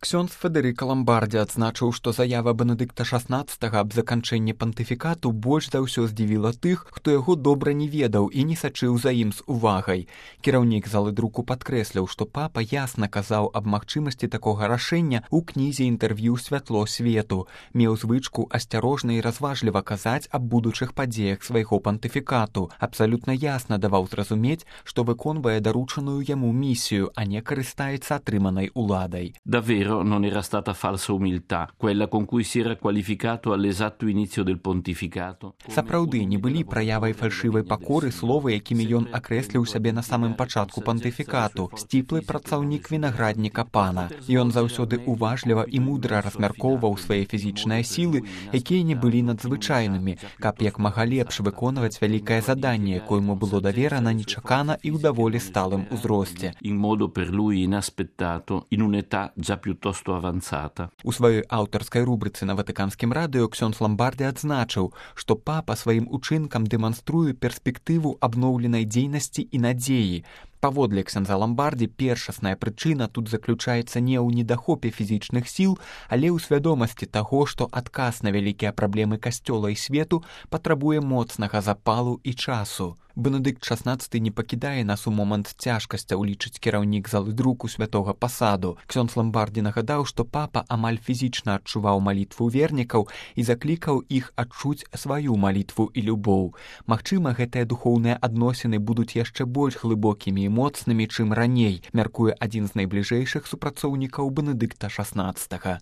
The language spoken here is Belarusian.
Ксёндз Федэрыка Ламбардзі адзначыў, што заява Бенедыкта XVI аб заканчэнні пантыфікату больш за ўсё здзівіла тых, хто яго добра не ведаў і не сачыў за ім з увагай. Кіраўнік залы друку падкрэсліў, што папа ясна казаў аб магчымасці такога рашэння ў кнізе інтэрв'ю «Святло свету», меў звычку асцярожна і разважліва казаць аб будучых падзеях свайго пантыфікату, абсалютна ясна даваў зразумець, што выконвае даручаную яму місію, а не карыстаецца атрыманай уладай. Non era stata falsa umiltà, quella con cui si era qualificato all'esatto inizio del pontificato. Сапраўды не былі праявай фальшывай пакоры словы, якімі ён акрэсліў сябе на самым пачатку пантыфікату, сціплы працаўнік вінаградніка пана. Ён заўсёды уважліва і мудра размяркоўваў свае фізічныя сілы, якія не былі надзвычайнымі, каб як мага лепш выконваць вялікае заданне, якое яму было даверана нечакана і ў даволі сталым узросце. In modo per lui inaspettato, in un'età già piuttosto avanzata. У сваёй аўтарскай рубрыцы на Ватыканскім радыё Ксёндз Ламбардзі адзначыў, што папа сваім учынкам дэманструе перспектыву абноўленай дзейнасці і надзеі. Паводле ксяндза Ламбардзі першасная прычына тут заключаецца не ў недахопе фізічных сіл, але ў свядомасці таго, што адказ на вялікія праблемы касцёла і свету патрабуе моцнага запалу і часу. Бенедыкт XVI не пакідае нас у момант цяжкасцяў, лічыць кіраўнік залы друку святога пасаду. Ксёндз Ламбардзі нагадаў, што папа амаль фізічна адчуваў малітву вернікаў і заклікаў іх адчуць сваю малітву і любоў. Магчыма, гэтыя духоўныя адносіны будуць яшчэ больш глыбокімі і моцнымі, чым раней, мяркуе адзін з найбліжэйшых супрацоўнікаў Бенедыкта XVI.